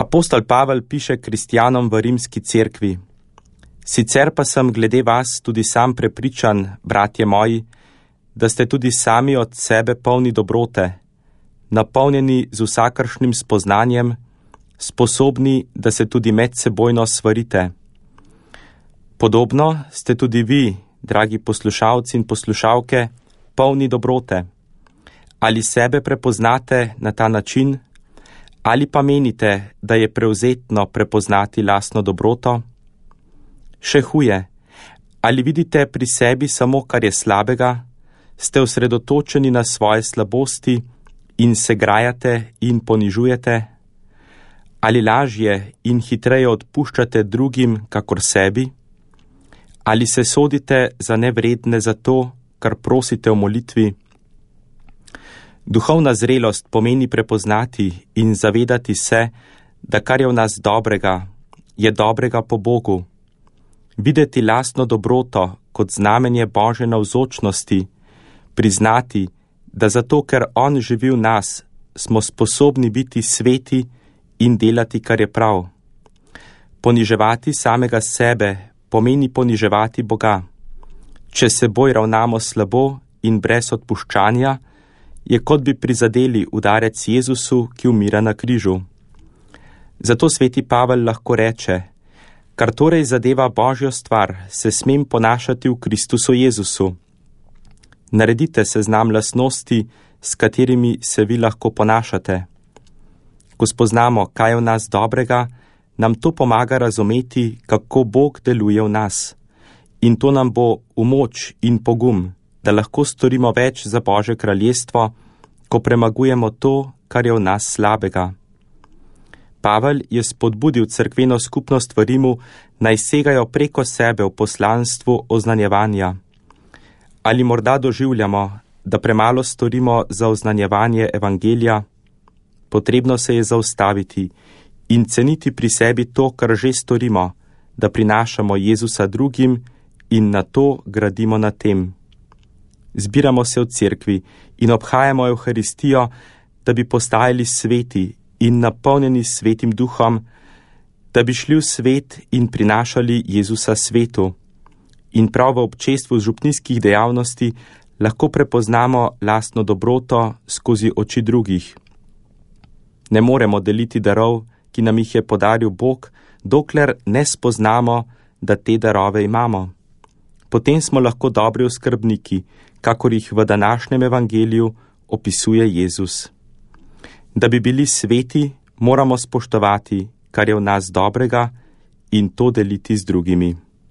Apostol Pavel piše kristjanom v rimski cerkvi: Sicer pa sem glede vas tudi sam prepričan, bratje moji, da ste tudi sami od sebe polni dobrote, napolnjeni z vsakršnim spoznanjem, sposobni, da se tudi medsebojno svarite. Podobno ste tudi vi, dragi poslušalci in poslušalke, polni dobrote. Ali sebe prepoznate na ta način, ali pa menite, da je prevzetno prepoznati lastno dobroto? Še huje, ali vidite pri sebi samo, kar je slabega, ste osredotočeni na svoje slabosti in se grajate in ponižujete? Ali lažje in hitreje odpuščate drugim, kakor sebi? Ali se sodite za nevredne za to, kar prosite v molitvi? Duhovna zrelost pomeni prepoznati in zavedati se, da kar je v nas dobrega, je dobrega po Bogu. Videti lastno dobroto kot znamenje Božje navzočnosti, priznati, da zato, ker On živi v nas, smo sposobni biti sveti in delati, kar je prav. Poniževati samega sebe pomeni poniževati Boga. Če seboj ravnamo slabo in brez odpuščanja, je kot bi prizadeli udarec Jezusu, ki umira na križu. Zato sveti Pavel lahko reče: kar torej zadeva Božjo stvar, se smem ponašati v Kristusu Jezusu. Naredite seznam lastnosti, s katerimi se vi lahko ponašate. Ko spoznamo, kaj je v nas dobrega, nam to pomaga razumeti, kako Bog deluje v nas. In to nam bo v moč in pogum, da lahko storimo več za Božje kraljestvo, ko premagujemo to, kar je v nas slabega. Pavel je spodbudil cerkveno skupnost v Rimu, naj segajo preko sebe v poslanstvu oznanjevanja. Ali morda doživljamo, da premalo storimo za oznanjevanje evangelija? Potrebno se je zaustaviti in ceniti pri sebi to, kar že storimo, da prinašamo Jezusa drugim in na to gradimo na tem. Zbiramo se v cerkvi in obhajamo Evharistijo, da bi postajali sveti in napolnjeni svetim duhom, da bi šli v svet in prinašali Jezusa svetu. In prav v občestvu župnijskih dejavnosti lahko prepoznamo lastno dobroto skozi oči drugih. Ne moremo deliti darov, ki nam jih je podaril Bog, dokler ne spoznamo, da te darove imamo. Potem smo lahko dobri oskrbniki, kakor jih v današnjem evangeliju opisuje Jezus. Da bi bili sveti, moramo spoštovati, kar je v nas dobrega, in to deliti z drugimi.